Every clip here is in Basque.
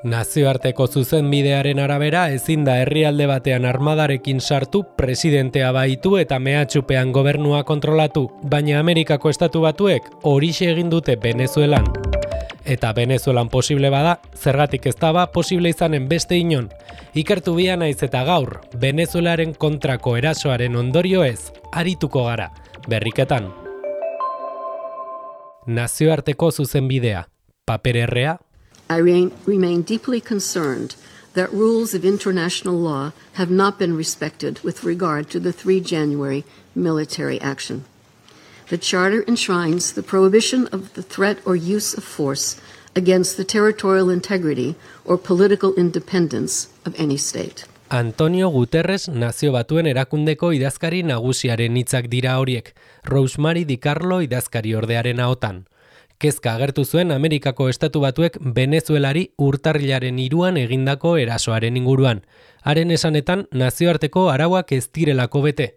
Nazioarteko zuzenbidearen arabera ezin da herrialde batean armadarekin sartu, presidentea baitu eta mehatxupean gobernua kontrolatu, baina Amerikako Estatu Batuek horixe egin dute Venezuelan. Eta Venezuelan posible bada, zergatik ez da posible izanen beste inon. Ikertu bia naiz eta gaur, Venezuelaren kontrako erasoaren ondorio ez, arituko gara, berriketan. Nazioarteko zuzenbidea, papererrea. I remain deeply concerned that rules of international law have not been respected with regard to the 3 January military action. The Charter enshrines the prohibition of the threat or use of force against the territorial integrity or political independence of any state. Antonio Guterres Nazio Batuen erakundeko idazkari nagusiaren hitzak dira horiek, Rosemary DiCarlo idazkari ordearen ahotan. Kezka agertu zuen Amerikako Estatu Batuek Venezuelari urtarrilaren 3an egindako erasoaren inguruan. Haren esanetan nazioarteko arauak ez direlako bete.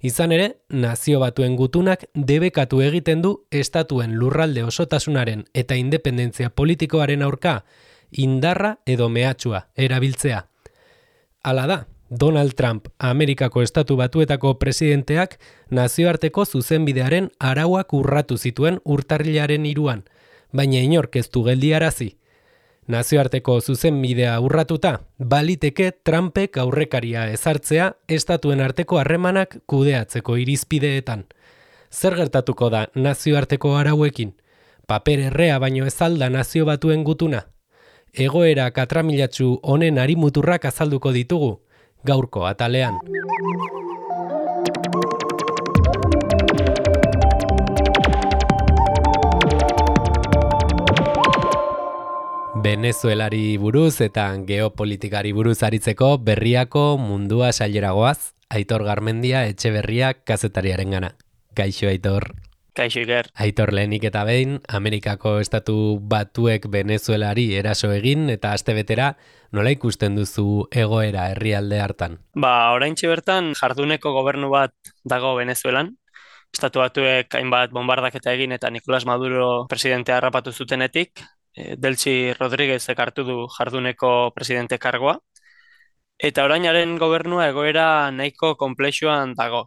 Izan ere, Nazio Batuen gutunak debekatu egiten du estatuen lurralde osotasunaren eta independentzia politikoaren aurka indarra edo mehatxua erabiltzea. Hala da, Donald Trump, Amerikako Estatu Batuetako presidenteak nazioarteko zuzenbidearen arauak urratu zituen urtarrilaren 3an, baina inork ez du geldiarazi. Nazioarteko zuzenbidea urratuta, baliteke Trumpek aurrekaria ezartzea estatuen arteko harremanak kudeatzeko irizpideetan. Zer gertatuko da nazioarteko arauekin? Papererrea baino ez alda Nazio Batuen gutuna? Egoera katramilatsu honen arimuturrak azalduko ditugu, gaurko atalean. Venezuelari buruz eta geopolitikari buruz aritzeko berriako mundua saileragoaz, Aitor Garmendia Etxeberria kazetariarengana. Kaixo Aitor. Kaixo Iker. Aitor, lehenik eta behin, Amerikako Estatu Batuek Venezuelari eraso egin eta astebetera nola ikusten duzu egoera herrialde hartan? Oraintxe bertan jarduneko gobernu bat dago Venezuelan. Estatu Batuek hainbat bombardaketa egin eta Nicolás Maduro presidentea harrapatu zutenetik, Delcy Rodríguezek hartu du jarduneko presidente kargoa, eta orainaren gobernua egoera nahiko konplexuan dago.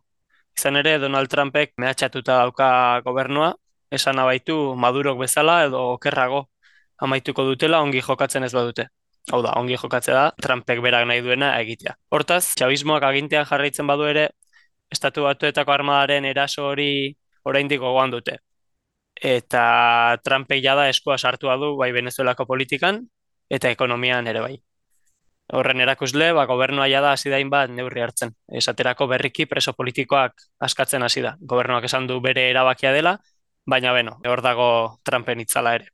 Izan ere, Donald Trumpek mehatxatuta dauka gobernua, esan abaitu Madurok bezala edo okerrago amaituko dutela ongi jokatzen ez badute. Hau da, ongi jokatzea da, Trumpek berak nahi duena egitea. Hortaz, txabismoak agintean jarraitzen badu ere, Estatu Batuetako armadaren eraso hori oraindik gogoan dute. Eta Trumpek jada eskua sartua du bai Venezuelako politikan eta ekonomian ere bai. Horren erakusle, gobernua jada hasi da hainbat neurri hartzen. Esaterako berriki preso politikoak askatzen hasi da. Gobernuak esan du bere erabakia dela, baina hor dago Trumpen itzala ere.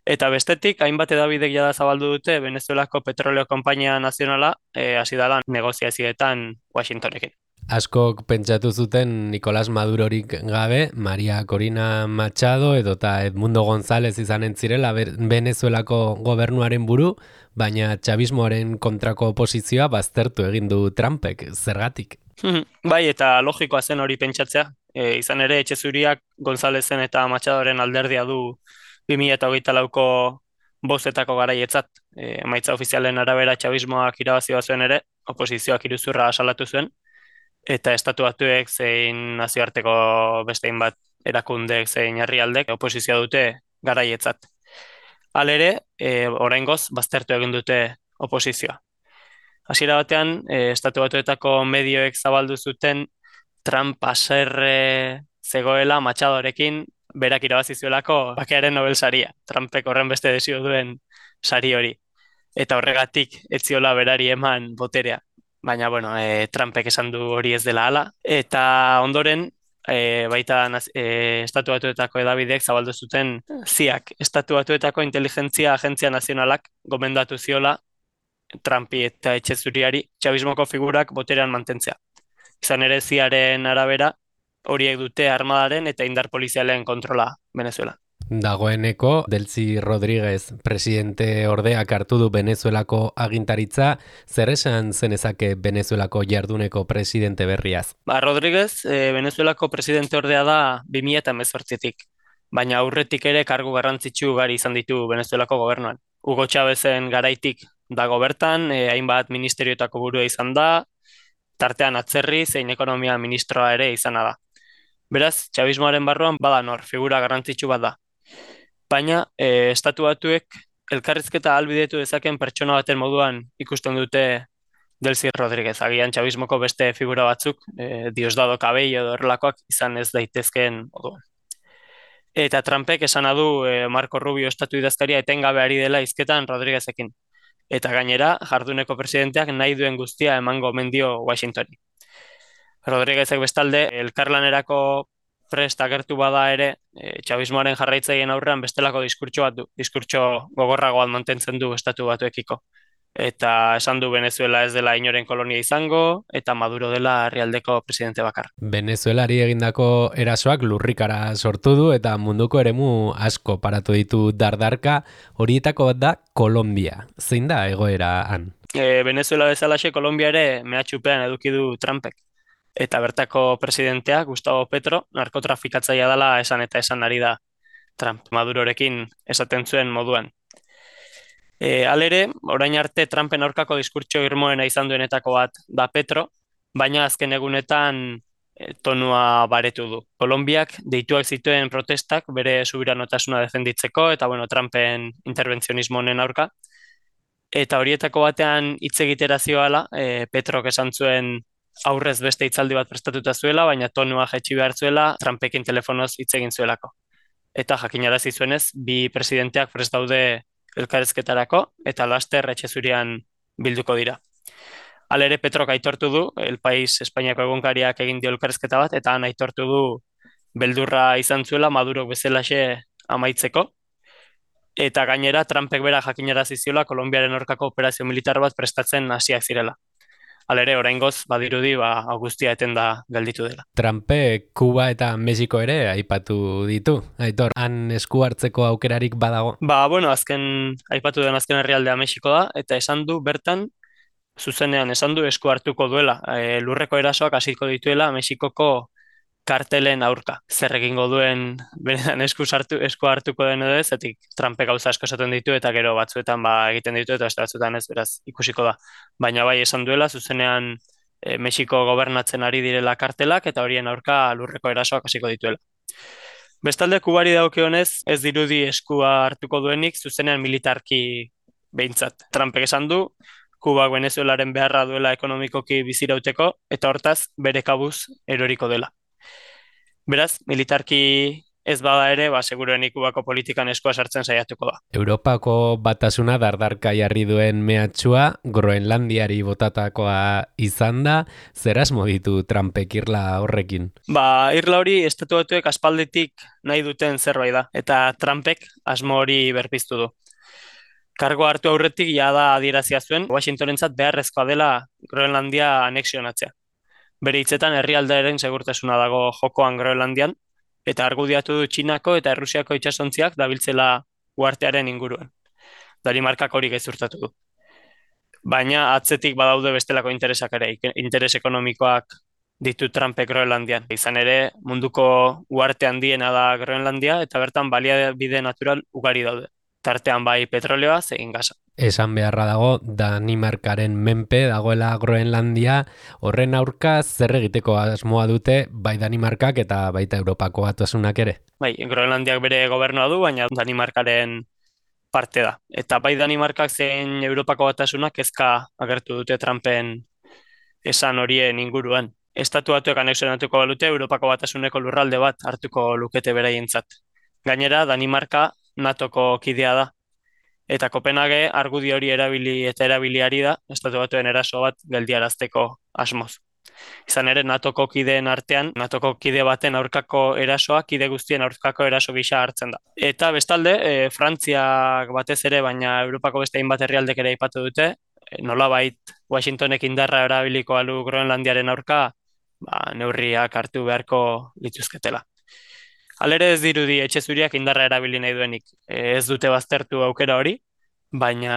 Eta bestetik, hainbat hedabidek jada zabaldu dute Venezuelako Petroleo Konpainia Nazionala hasi dela negoziazioetan Washingtonekin. Askok pentsatu zuten Nicolás Madurorik gabe, Maria Corina Machado edota Edmundo González izanen zirela Venezuelako gobernuaren buru, baina txabismoaren kontrako oposizioa baztertu egin du Trumpek, zergatik? Bai, eta logikoa zen hori pentsatzea. Izan ere, Etxezuriak Gonzálezen eta Machadoren alderdia du 2024ko bozetako garaietzat. Emaitza ofizialen arabera txabismoak irabazioa zuen ere, oposizioak iruzurra salatu zuen, eta Estatu Batuek zein nazioarteko bestein bat erakundek zein herrialdek oposizioa dute garaietzat. Halere, oraingoz baztertu egin dute oposizioa. Hasiera batean, Estatu Batuetako medioek zabaldu zuten Trump haserre zegoela Machadorekin berak irabazi zuelako bakearen Nobel saria. Trumpek horren beste desio duen sari hori. Eta horregatik ez ziola berari eman boterea. Baina, Trumpek esan du hori ez dela hala. Eta ondoren, baita Estatu Batuetako hedabidek zabaldu zuten ziak. Estatu Batuetako Inteligentzia Agentzia Nazionalak gomendatu ziola Trumpi eta Etxezuriari txabismoko figurak boterean mantentzea. Izan ere ziaren arabera, horiek dute armadaren eta indar polizialen kontrola Venezuela. Dagoeneko, Delcy Rodríguez presidente ordeak hartu du Venezuelako agintaritza, zer esan zenezake Venezuelako jarduneko presidente berriaz? Rodríguez, Venezuelako presidente ordea da 2018tik, baina aurretik ere kargu garrantzitsu ugari izan ditu Venezuelako gobernuan. Hugo Chávezen garaitik dago bertan, hainbat ministerioetako burua izan da, tartean atzerri zein ekonomia ministroa ere izana da. Beraz, txabismoaren barruan bada nor, figura garrantzitsu bat da. Baina, estatu batuek elkarrizketa ahalbidetu dezaken pertsona baten moduan ikusten dute Delcy Rodríguez. Agian txabismoko beste figura batzuk, Diosdado Cabello edo horrelakoak izan ez daitezkeen moduan. Eta Trumpek esana du Marco Rubio estatu idazkaria etengabe ari dela hizketan Rodríguezekin. Eta gainera, jarduneko presidenteak nahi duen guztia emango omen dio Washingtoni. Rodríguezek bestalde, elkarlanerako prest agertu bada ere, txabismoaren jarraitzaileen aurrean bestelako diskurtso bat du, diskurtso gogorragoan mantentzen du estatu batuekiko. Eta esan du Venezuela ez dela inoren kolonia izango, eta Maduro dela herrialdeko presidente bakar. Venezuelari egindako erasoak lurrikara sortu du eta munduko eremu asko paratu ditu dardarka, horietako bat da Kolombia. Zein da egoera han? Venezuela bezalaxe Kolombia ere mehatxupean eduki du Trumpek. Eta bertako presidentea, Gustavo Petro, narkotrafikatzailea dela esan eta esan ari da Trump. Madurorekin esaten zuen moduan. Halere, orain arte Trumpen aurkako diskurtso irmoena izan duenetako bat da Petro, baina azken egunetan tonua baretu du. Kolonbiak deituak zituen protestak bere subiranotasuna defenditzeko eta Trumpen interbentzionismo honen aurka. Eta horietako batean hitz egitera zioala, Petrok esan zuen aurrez beste hitzaldi bat prestatuta zuela, baina tonua jaitsi behar zuela Trumpekin telefonoz hitz egin zuelako. Eta jakinarazi zuenez, bi presidenteak prest daude elkarrizketarako eta laster etxe zurian bilduko dira. Halere Petrok aitortu du, El País Espainiako egunkariak egin dio elkarrizketa bat, eta han aitortu du beldurra izan zuela Maduro bezalaxe amaitzeko. Eta gainera Trumpek bera jakinarazi ziola Kolonbiaren aurkako operazio militar bat prestatzen hasiak zirela. Halere, oraingoz badirudi guztia etenda gelditu dela. Trumpek Kuba eta Mexiko ere aipatu ditu. Aitor, han esku hartzeko aukerarik badago? Aipatu den azken herrialdea Mexiko da, eta esan du bertan, zuzenean esan du esku hartuko duela. Lurreko erasoak hasiko dituela Mexikoko kartelen aurka. Zer egingo duen benetan esku hartuko den edo ez, zetik Trumpek gauza asko esaten ditu eta gero batzuetan egiten ditu eta batzuetan ez, beraz ikusiko da. Baina bai esan duela, zuzenean Mexiko gobernatzen ari direla kartelak eta horien aurka lurreko erasoak hasiko dituela. Bestalde, Kubari dagokionez ez dirudi eskua hartuko duenik zuzenean militarki behintzat. Trumpek esan du, Kubak Venezuelaren beharra duela ekonomikoki bizirauteko eta hortaz bere kabuz eroriko dela. Beraz, militarki ez bada ere, seguruenik Kubako politikan eskua sartzen saiatuko da. Europako batasuna dardarka jarri duen mehatxua Groenlandiari botatakoa izan da, zer asmo ditu Trumpek irla horrekin? Irla hori estatu batuek aspalditik nahi duten zerbait da, eta Trumpek asmo hori berpiztu du. Kargo hartu aurretik jada adierazia zuen, Washingtonentzat beharrezkoa dela Groenlandia anexionatzea. Bere hitzetan herrialdearen segurtasuna dago jokoan Groenlandian, eta argudiatu du Txinako eta Errusiako itsasontziak dabiltzela uhartearen inguruan. Danimarkak hori gezurtatu du. Baina atzetik badaude bestelako interesak ere, interes ekonomikoak ditu Trumpek Groenlandian. Izan ere, munduko uharte handiena da Groenlandia, eta bertan baliabide natural ugari daude. Tartean bai petroleoa, zein gasa. Esan beharra dago, Danimarkaren menpe dagoela Groenlandia, horren aurka zer egiteko asmoa dute bai Danimarkak eta baita Europako batasunak ere? Bai, Groenlandiak bere gobernua du, baina Danimarkaren parte da. Eta bai Danimarkak zein Europako batasunak kezka agertu dute Trumpen esan horien inguruan. Estatu batuek anexionatuko balute Europako batasuneko lurralde bat hartuko lukete beraientzat. Gainera, Danimarka NATOko kidea da. Eta Kopenhage argudio hori erabiliari da, estatu batuen eraso bat geldiarazteko asmoz. Izan ere, NATOko kideen artean, NATOko kide baten aurkako erasoa, kide guztien aurkako eraso gisa hartzen da. Eta bestalde, Frantziak batez ere, baina Europako beste hainbat herrialdek ere aipatu dute, nolabait Washingtonek indarra erabiliko alu Groenlandiaren aurka, neurriak hartu beharko lituzketela. Halere ez dirudi etxe zuriak indarra erabili nahi duenik. Ez dute baztertu aukera hori, baina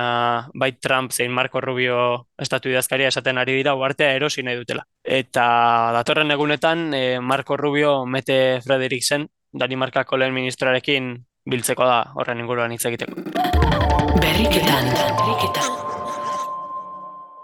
bai Trump zein Marco Rubio estatu idazkaria esaten ari dira uhartea erosi nahi dutela. Eta datorren egunetan Marco Rubio Mette Frederiksen, Danimarkako lehen ministroarekin biltzeko da horren inguruan hitz egiteko. Berriketan.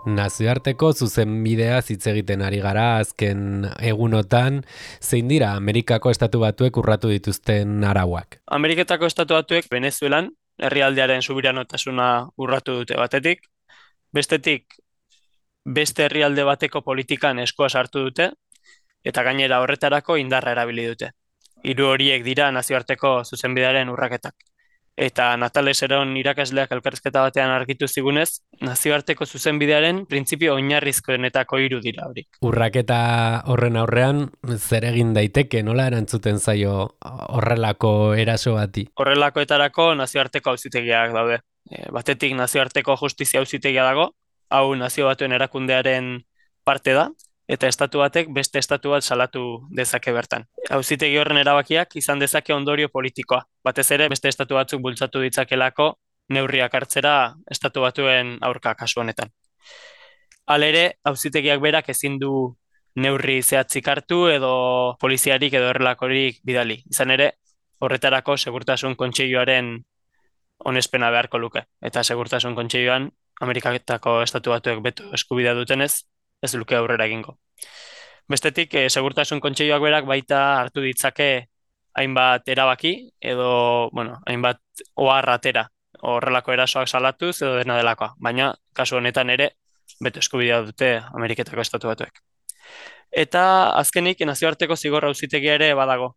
Nazioarteko zuzenbidea hitz egiten ari gara azken egunotan, zein dira Amerikako Estatu Batuek urratu dituzten arauak? Ameriketako Estatu Batuek Venezuelan herrialdearen subiranotasuna urratu dute batetik, bestetik beste herrialde bateko politikan eskua sartu dute, eta gainera horretarako indarra erabili dute. Hiru horiek dira nazioarteko zuzenbidearen urraketak. Eta Natales Eron irakasleak elkarrizketa batean argitu zigunez, nazioarteko zuzenbidearen printzipio oinarrizkoenetako hiru dira hori. Urraketa horren aurrean zer egin daiteke, nola erantzuten zaio horrelako eraso bati? Horrelakoetarako nazioarteko auzitegiak daude. Batetik nazioarteko justizia auzitegia dago, hau Nazio Batuen erakundearen parte da, eta estatu batek beste estatu bat salatu dezake bertan. Auzitegi horren erabakiak izan dezake ondorio politikoa. Batez ere beste estatu batzuk bultzatu ditzakelako neurriak hartzera estatu batuen aurka kasu honetan. Halere, auzitegiak berak ezin du neurri zehatzik hartu edo poliziarik edo horrelakorik bidali. Izan ere, horretarako Segurtasun Kontseiluaren onespena beharko luke. Eta Segurtasun Kontseiluan Ameriketako Estatu Batuek beto eskubidea dutenez, ez luke aurrera egingo. Bestetik, Segurtasun Kontseiluak berak baita hartu ditzake hainbat erabaki edo, hainbat ohar atera horrelako erasoak salatuz edo dena delakoa. Baina, kasu honetan ere, beto eskubidea dute Ameriketako Estatu Batuek. Eta azkenik, nazioarteko zigor auzitegia ere badago.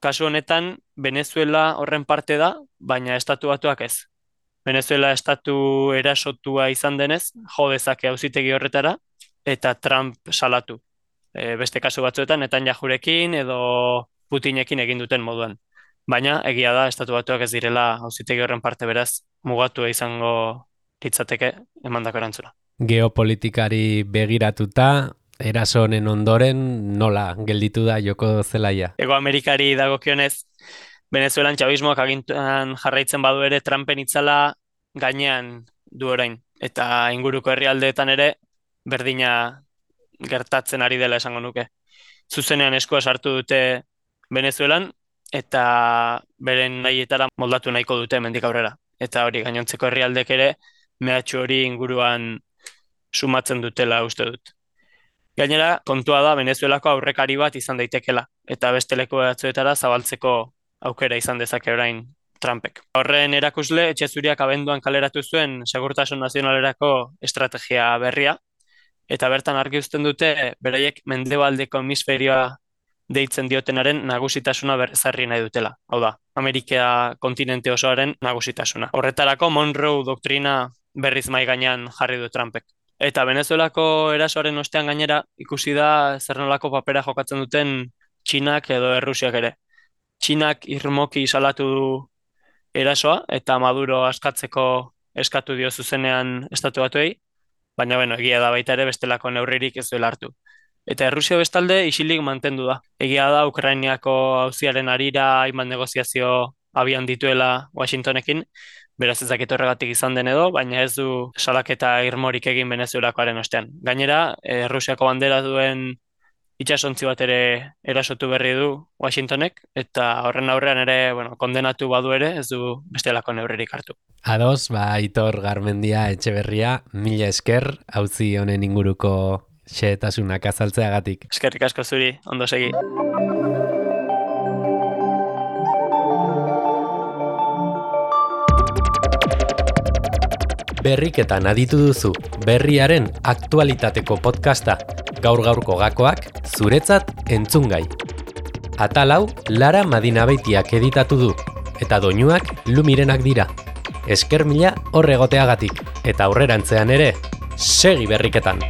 Kasu honetan, Venezuela horren parte da, baina Estatu Batuak ez. Venezuela estatu erasotua izan denez, jo dezake auzitegi horretara, eta Trump salatu. Beste kasu batzuetan, Netanyahurekin edo Putinekin egin duten moduan. Baina, egia da, Estatu Batuak ez direla auzitegi horren parte beraz, mugatua izango litzateke emandako erantzuna. Geopolitikari begiratuta, eraso honen ondoren nola gelditu da joko zelaia? Hego Amerikari dagokionez, Venezuelan txabismoak agintan jarraitzen badu ere Trumpen itzala gainean du orain. Eta inguruko herrialdeetan ere berdina gertatzen ari dela esango nuke. Zuzenean eskua sartu dute Venezuelan eta beren nahietara moldatu nahiko dute hemendik aurrera. Eta hori gainontzeko herrialdek ere mehatxu hori inguruan sumatzen dutela uste dut. Gainera, kontua da Venezuelako aurrekari bat izan daitekela eta beste leku batzuetara zabaltzeko aukera izan dezake orain Trumpek. Horren erakusle, Etxe Zuriak abenduan kaleratu zuen Segurtasun Nazionalerako estrategia berria, eta bertan argi uzten dute beraiek mendebaldeko hemisferioa deitzen diotenaren nagusitasuna berrezarri nahi dutela. Hau da, Amerika kontinente osoaren nagusitasuna. Horretarako Monroe doktrina berriz mai gainean jarri du Trumpek. Eta Venezuelako erasoaren ostean gainera ikusi da zer nolako papera jokatzen duten Txinak edo Errusiak ere. Txinak irmoki salatu du erasoa eta Maduro askatzeko eskatu dio zuzenean Estatu Batuei, baina egia da baita ere bestelako neurririk ez duela hartu. Eta Errusia bestalde isilik mantendu da. Egia da Ukrainiako auziaren harira hainbat negoziazio abian dituela Washingtonekin, beraz ez dakit horregatik izan den edo, baina ez du salaketa irmorik egin Venezuelakoaren ostean. Gainera, Errusiako bandera duen itxasontzi bat ere erasotu berri du Washingtonek, eta horren aurrean ere, kondenatu badu ere, ez du bestelako neurririk hartu. Ados, Aitor Garmendia Etxeberria, mila esker, auzi honen inguruko xehetasunak azaltzeagatik. Eskerrik asko zuri, ondo segi. Berriketan aditu duzu, berriaren aktualitateko podcasta, gaur-gaurko gakoak, zuretzat entzungai. Atal hau Lara Madinabeitiak editatu du, eta doinuak Lumirenak dira. Esker mila hor egoteagatik, eta aurrerantzean ere, segi berriketan!